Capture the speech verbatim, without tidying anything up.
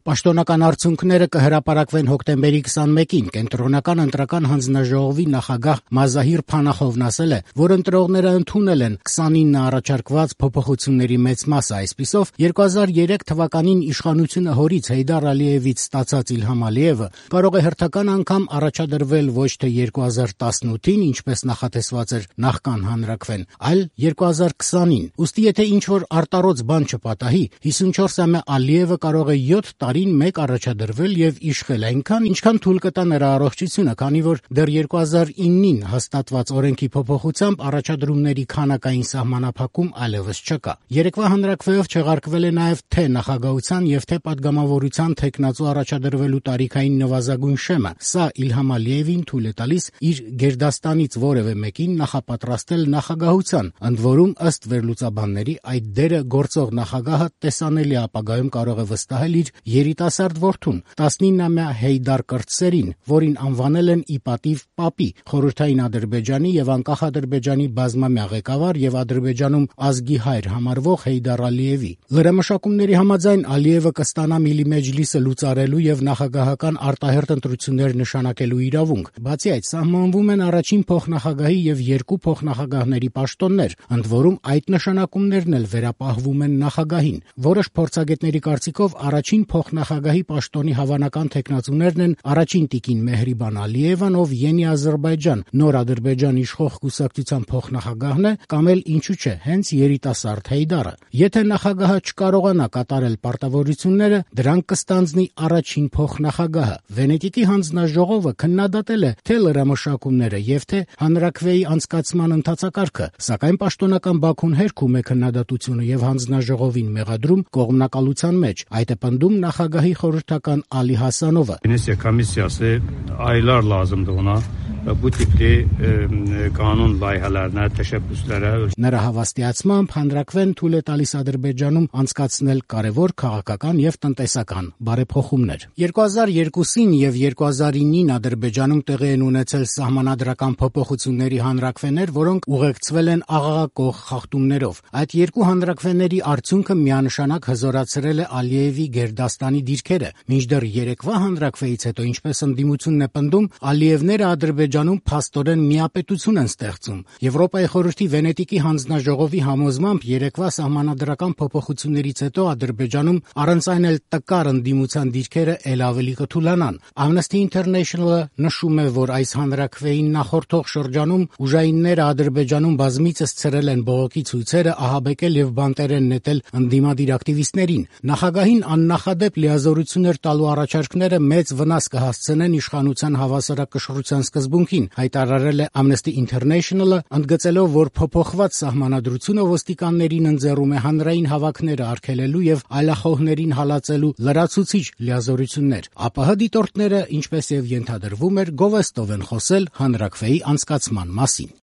Պաշտոնական արդյունքները կհրապարակվեն հոկտեմբերի քսանմեկին։ Կենտրոնական ընտրական հանձնաժողովի նախագահ Մազահիր Փանախովն ասել է, որ ընտրողները ընդունել են քսանինը առաջարկված փոփոխությունների մեծ մասը, այսպիսով երկու հազար երեք թվականին իշխանությունը հորից Հեյդար Ալիևից ստացած Իլհամ Ալիևը կարող է հերթական անգամ առաջադրվել ոչ թե երկու հազար տասնութին, ինչպես նախատեսված էր նախքան հանրաքվեն, այլ երկու հազար քսանին։ Ուստի եթե ինչ-որ արտառոց բան չպատահի, հիսունչորսամյա Ալիևը կարող է յոթ տարին մեկ առաջադրվել եւ իշխել այնքան, ինչքան թույլ կտա նրա առողջությունը, քանի որ դեռ երկու հազար իննին հաստատված օրենքի փոփոխությամբ առաջադրումների քանակային սահմանափակում այլևս չկա։ Երեկվա հանրաքվեով չեղարկվել է նաեւ թե նախագահության եւ թե պատգամավորության թեկնածու առաջադրվելու տարիքային նվազագույն շեմը։ Սա Իլհամ Ալիևին թույլ է տալիս իր գերդաստանից որևէ մեկին նախապատրաստել նախագահության, ընդ որում ըստ վերլուծաբանների այդ դերը գործող նախագահը տեսանելի ապագայում կարող է վստահել իր երիտասարդ որդուն, տասնինամյա Հեյդար Կրտսերին, որին անվանել են ի պատիվ պապի, խորհրդային Ադրբեջանի եւ անկախ Ադրբեջանի բազմամյա ղեկավար եւ Ադրբեջանում ազգի հայր համարվող Հեյդար Ալիևի։ Լրամշակումների համաձայն Ալիևը կստանա Միլի Մեջլիսը լուծարելու եւ նախագահական արտահերթ ընտրություններ նշանակելու իրավունք։ Բացի այդ, սահմանվում են առաջին փոխնախագահի եւ երկու փոխնախագահների պաշտոններ, ընդ որում այդ նշանակումներն էլ վերապահվում են նախագահին։ Որոշ փորձագետների կարծիքով առաջին փոխնախագահի պաշտոնի հավանական թեկնածուներն են առաջին տիկին Մեհրիբան Ալիևան, ով Յենի Ադրբեջան նոր Ադրբեջան իշխող կուսակցության փոխնախագահն է, կամ էլ ինչու՞ չէ, հենց երիտասարդ Հեյդարը։ Եթե նախագահը չկարողանա կատարել պարտավորությունները, դրանք կստանձնի առաջին փոխնախագահը։ Վենետիկի հանձնաժողովը քննադատել է թե լրամշակումները եւ թե հանրաքվեի անցկացման ընթացակարգը, սակայն պաշտոնական Բաքուն հերքում է քննադատությունը եւ հանձնաժողովին մեղադրում կողմնակալության մեջ։ Այդ է պնդում նախագահի խորհրդական Ալի Հասանովը։ Aylar lazımdı ona bu tipli kanun layihələrinə, təşəbbüslərə. Նրա հավաստիացմամբ հանրաքվեն թույլ է տալիս Ադրբեջանում անցկացնել կարևոր քաղաքական եւ տնտեսական բարեփոխումներ։ երկու հազար երկուսին եւ երկու հազար իննին Ադրբեջանում տեղի են ունեցել սահմանադրական փոփոխությունների հանրաքվեներ, որոնք ուղեկցվել են աղաղակող խախտումներով։ Այդ երկու հանրաքվեների արդյունքը միանշանակ հզորացրել է Ալիևի գերդաստանի դիրքերը։ Մինչդեռ երեկվա հանրաքվեից հետո, ինչպես ընդդիմությունն է պնդում, Ալիևները Ադրբեջանում փաստորեն միապետություն են ստեղծում։ Եվրոպայի խորհրդի Վենետիկի հանձնաժողովի համոզմամբ երեկվա սահմանադրական փոփոխություններից հետո Ադրբեջանում առանց այն էլ տկար ընդդիմության դիրքերը ել ավելի կթուլանան։ Amnesty International-ը նշում է, որ այս հանրաքվեին նախորդող շրջանում ուժայինները Ադրբեջանում բազմիցս ցրել են բողոքի ցույցերը, ահաբեկել եւ բանտերեն նետել ընդդիմադիր ակտիվիստներին։ Նախագահին աննախադեպ լիազորություններ տալու առաջարկները մեծ վնաս կհասցնեն իշխանության հավասարակշռության սկզբունքին, հայտարարել է Amnesty International-ը, ընդգծելով, որ փոփոխված սահմանադրությունը ոստիկաններին ընձեռում է հանրային հավաքները արգելելու եւ այլախոհներին հալածելու լրացուցիչ լիազորություններ։ ԱՊՀ դիտորդները, ինչպես եւ ենթադրվում էր, գովեստով են խոսել հանրաքվեի անցկացման մասին։